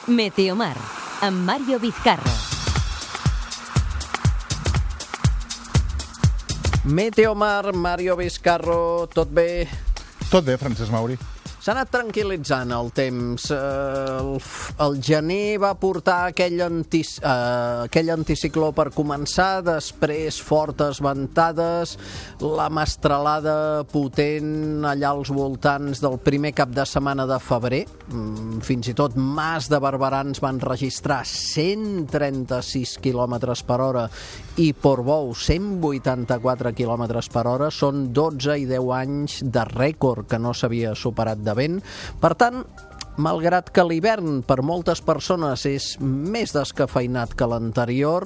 Meteomar, amb Mario Vizcarra. Meteomar, Mario Vizcarro, tot bé? Tot bé, Francesc Mauri. S'ha anat tranquil·litzant el temps. El gener va portar aquell anticicló per començar, després fortes ventades, la mestralada potent allà als voltants del primer cap de setmana de febrer. Fins i tot Mas de Barberans van registrar 136 km per hora i Portbou 184 km per hora. Són 12 i 10 anys de rècord que no s'havia superat de vent. Per tant, malgrat que l'hivern per moltes persones és més descafeinat que l'anterior,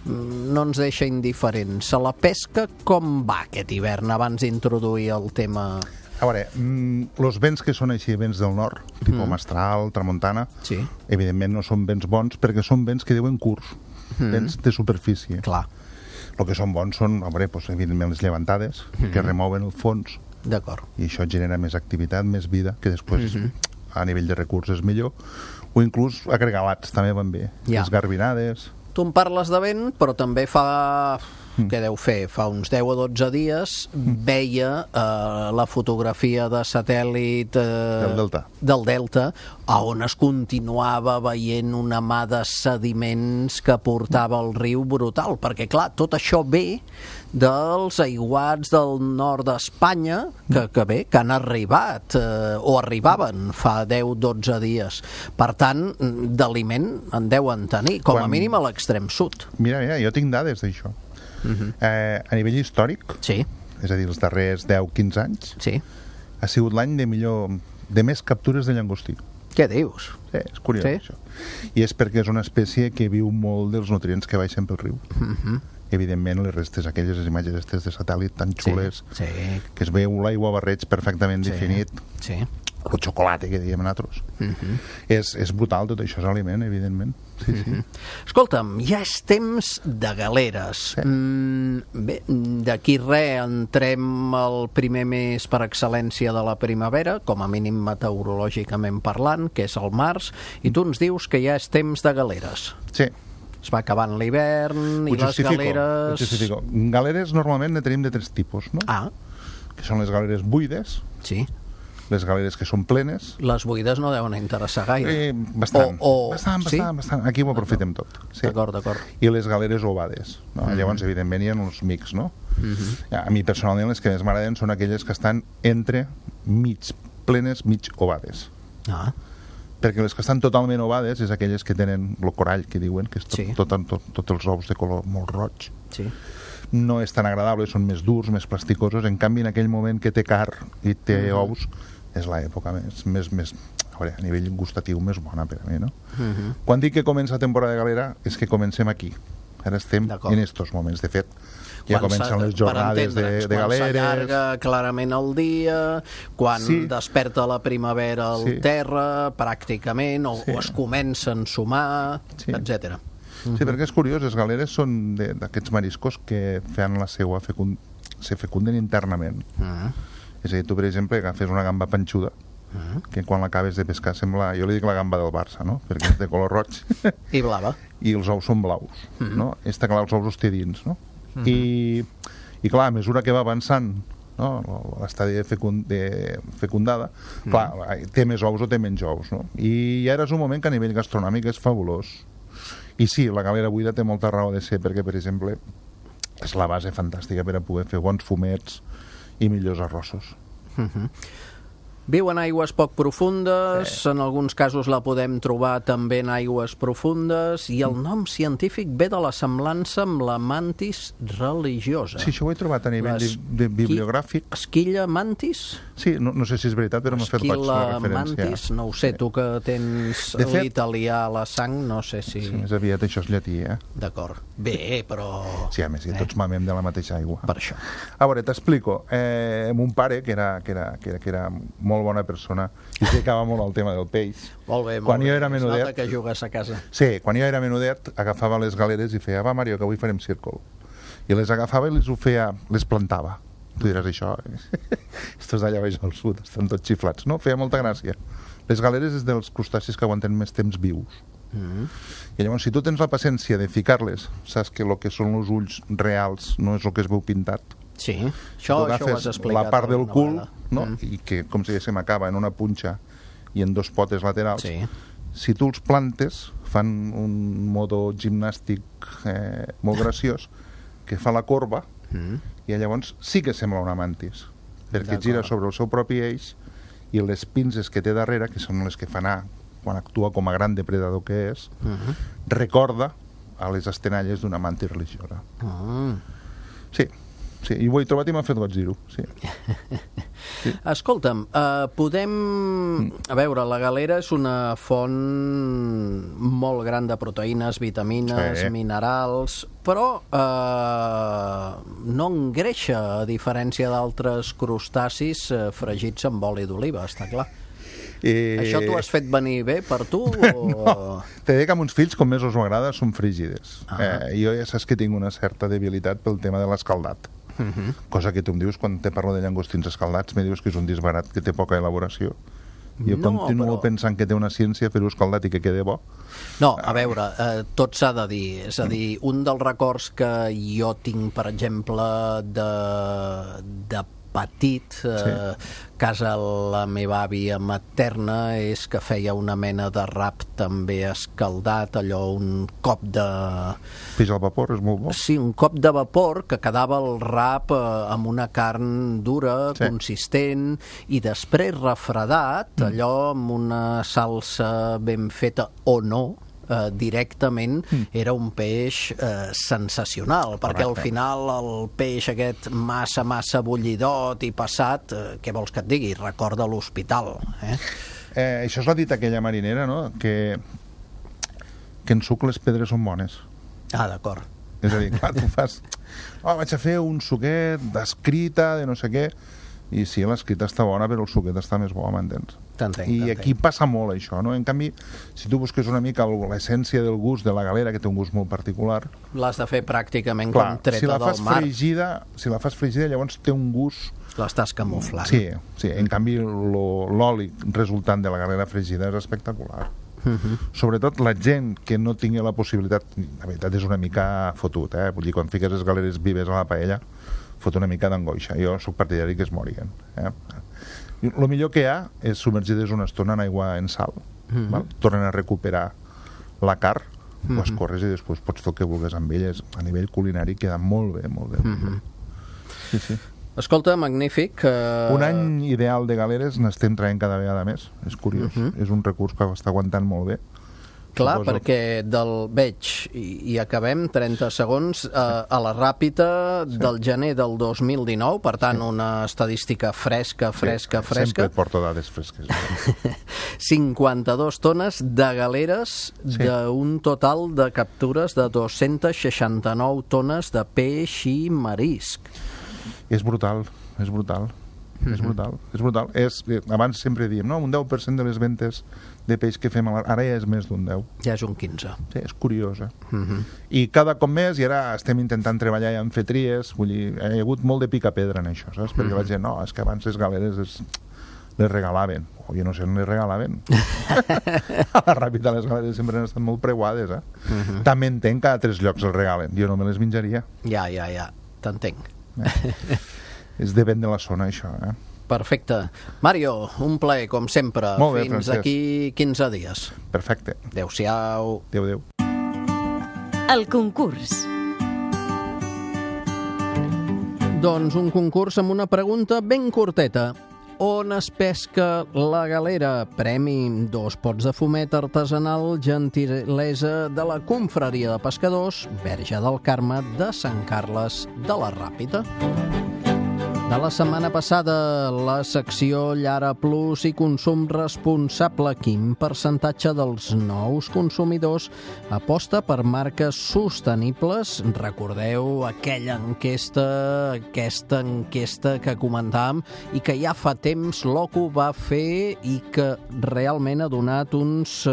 no ens deixa indiferents. A la pesca, com va aquest hivern abans d'introduir el tema? A veure, els vents que són així, vents del nord, tipus mestral, tramuntana, Sí. evidentment no són vents bons perquè són vents que diuen curs, vents de superfície. Clar, El que són bons són, a veure, doncs, evidentment les llevantades, que remouen el fons, d'acord. i això genera més activitat, més vida, que després a nivell de recursos és millor, o inclús agregalats també van bé, Ja. les garbinades. Tu em parles de vent, però també fa... Què deu fer? Fa uns 10 o 12 dies veia la fotografia de satèl·lit del Delta, on es continuava veient una mà de sediments que portava el riu brutal, perquè clar, tot això ve dels aiguats del nord d'Espanya que han arribat o arribaven fa 10-12 dies. Per tant, d'aliment en deuen tenir, com a mínim a l'extrem sud. Mira, jo tinc dades d'això. A nivell històric, Sí, és a dir, els darrers 10-15 anys, sí. ha sigut l'any de més captures de llangostí. Què dius? Sí, és curiós, Sí? això. I és perquè és una espècie que viu molt dels nutrients que baixen pel riu. Evidentment, les restes, aquelles imatges de satèl·lit tan xules, Sí, que es veu l'aigua barreig perfectament definit, sí. el xocolate que diem nosaltres. És brutal, tot això és aliment, evidentment. Sí. Escolta'm, ja és temps de galeres. Bé, d'aquí res entrem al primer mes per excel·lència de la primavera, com a mínim meteorològicament parlant, que és el març, i tu ens dius que ja és temps de galeres. Sí. Es va acabant l'hivern i les galeres... Ho justifico. Galeres normalment ne tenim de tres tipus, no? Ah, Que són les galeres buides, sí. les galeres que són plenes, Les buides no deuen interessar gaire. bastant. Sí? Bastant. Aquí ho aprofitem tot. Sí. D'acord. I les galeres ovades. No? Llavors, evidentment, hi ha uns mix, no? A mi, personalment, les que més m'agraden són aquelles que estan entre mig plenes, mig ovades. Ah, Perquè les que estan totalment ovades és aquelles que tenen el corall, que diuen, que és Sí. tots els ous de color molt roig. sí. No és tan agradable, són més durs, més plasticosos. En canvi, en aquell moment que té carn i té ous, és l'època més a veure, a nivell gustatiu més bona per a mi, no? Quan dic que comença la temporada de galera és que comencem aquí. Ara estem D'acord. en estos moments. De fet, ja Quan comencen les per jornades entendre'ns, de galeres. Quan s'allarga clarament el dia, quan Sí. desperta la primavera al Sí. terra, pràcticament, o es comença a ensumar, Sí. etc. Sí, perquè és curiós, les galeres són d'aquests mariscos que fan la seva se fecunden internament. És a dir, tu, per exemple, agafes una gamba panxuda, que quan l'acabes de pescar sembla, jo li dic la gamba del Barça, no? Perquè és de color roig I blava. i els ous són blaus, no? Està clar, els ous els té dins, no? I clar, a mesura que va avançant, no? L'estadi de fecundada, clar, té més ous o té menys ous, no? I ara és un moment que a nivell gastronòmic és fabulós. I sí, la galera buida té molta raó de ser, perquè, per exemple, és la base fantàstica per a poder fer bons fumets i millors arrossos. Viu en aigües poc profundes, en alguns casos la podem trobar també en aigües profundes, i el nom científic ve de la semblança amb la mantis religiosa. Sí, això ho he trobat a nivell de bibliogràfic. Esquilla mantis? Sí, no sé si és veritat, però m'ha fet goig la referència. Mantis, no ho sé, tu que tens De fet, l'italià a la sang, no sé si... Sí, més aviat això és llatí, eh? D'acord. Bé, però... Sí, a més, que tots mamem de la mateixa aigua. Per això. A veure, t'explico. Mon pare, que era molt bona persona, i es dedicava molt al tema del peix. Molt bé, Quan molt jo bé. era Es menudet... nota que jugues a casa. Sí, quan jo era menudet, agafava les galeres i feia, va, Mario, que avui farem círcol. I les agafava i les plantava. Tu diràs això, estos d'allà baix al sud estan tots xiflats, no? Feia molta gràcia. Les galeres és dels crustacis que aguanten més temps vius. I llavors, si tu tens la paciència de ficar-les, saps que el que són els ulls reals no és el que es veu pintat. Sí, això ho has explicat. La part del cul, no? Mm. I que, com si diguéssim, acaba en una punxa i en dos potes laterals. Sí. Si tu els plantes, fan un modo gimnàstic molt graciós, que fa la corba, i llavors sí que sembla una mantis, perquè gira sobre el seu propi eix, i les pinces que té darrere, que són les que fa anar quan actua com a gran depredador que és, recorda a les estenalles d'una mantis religiosa. Sí, i ho he trobat i m'ha fet goig dir-ho. Sí. Escolta'm, podem... A veure, la galera és una font molt gran de proteïnes, vitamines, minerals, però no engreixa, a diferència d'altres crustacis fregits amb oli d'oliva, està clar. Això t'ho has fet venir bé per tu? No, t'he dit que amb uns fills, com més us agrada, són frígides. Jo ja saps que tinc una certa debilitat pel tema de l'escaldat. Cosa que tu em dius quan te parlo de llangostins escaldats, me dius que és un disbarat, que té poca elaboració. Jo continuo pensant que té una ciència fer-ho escaldat i que quede bo. No, a veure, tot s'ha de dir. És a dir, un dels records que jo tinc, per exemple, de petit, casa la meva àvia materna, és que feia una mena de rap també escaldat, allò, un cop de... Peix al vapor, és molt bo. Sí, un cop de vapor que quedava el rap amb una carn dura, consistent, i després refredat, allò amb una salsa ben feta o no, directament, era un peix sensacional, perquè al final el peix aquest massa bullidot i passat, què vols que et digui? Recorda l'hospital. Això és la dita aquella marinera, no? Que en suc les pedres són bones. Ah, d'acord. És a dir, clar, tu fas... vaig a fer un suquet d'escrita, de no sé què, i sí, l'escrita està bona, però el suquet està més bo, m'entens? I aquí passa molt això, no? En canvi, si tu busques una mica l'essència del gust de la galera, que té un gust molt particular... L'has de fer pràcticament com treta del mar. Si la fas fregida, llavors té un gust... L'estàs camuflant. Sí, en canvi l'oli resultant de la galera fregida és espectacular. Sobretot la gent que no tingui la possibilitat... La veritat és una mica fotut, vull dir, quan fiques les galeres vives a la paella, fot una mica d'angoixa. Jo soc partidari que es morien. El millor que hi ha és submergir-les una estona en aigua en sal. Tornen a recuperar la carn, ho escorres i després pots fer el que vulguis amb elles. A nivell culinari queda molt bé, molt bé. Sí. Escolta, magnífic. Un any ideal de galeres n'estem traient cada vegada més. És curiós. És un recurs que està aguantant molt bé. Clar, perquè veig, i acabem, 30 segons, a la ràpida del gener del 2019, per tant, una estadística fresca. Sempre et porto dades fresques. 52 tones de galeres d'un total de captures de 269 tones de peix i marisc. És brutal. Abans sempre diem, no? Un 10% de les ventes de peix que fem ara ja és més d'un 10. Ja és un 15. Sí, és curiós, I cada cop més, i ara estem intentant treballar ja en fer tries, vull dir, hi ha hagut molt de pica-pedra en això, saps? Perquè la gent, no, és que abans les galeres les regalaven. Jo no sé on les regalaven. A la ràpida les galeres sempre han estat molt preuades, També entenc que a 3 llocs els regalen. Jo no me les menjaria. Ja, t'entenc. És depèn de la zona, això, Perfecte. Mario, un plaer, com sempre. Molt bé, fins Francesc. Aquí 15 dies. Perfecte. Adéu-siau. Adéu. El concurs. Doncs un concurs amb una pregunta ben curteta. On es pesca la galera? Premi 2 pots de fumet artesanal, gentilesa de la confraria de pescadors Verge del Carme de Sant Carles de la Ràpita. De la setmana passada, la secció Llara Plus i consum responsable. Quin percentatge dels nous consumidors aposta per marques sostenibles? Recordeu aquesta enquesta que comentàvem i que ja fa temps l'OCU va fer i que realment ha donat uns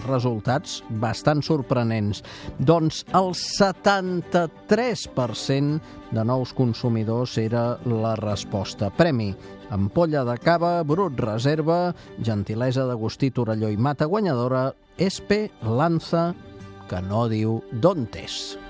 resultats bastant sorprenents. Doncs el 73% de nous consumidors eren era la resposta. Premi: ampolla de cava, Brut Reserva, gentilesa d'Agustí Torelló i Mata, guanyadora Espe Lanza, que no diu d'on és.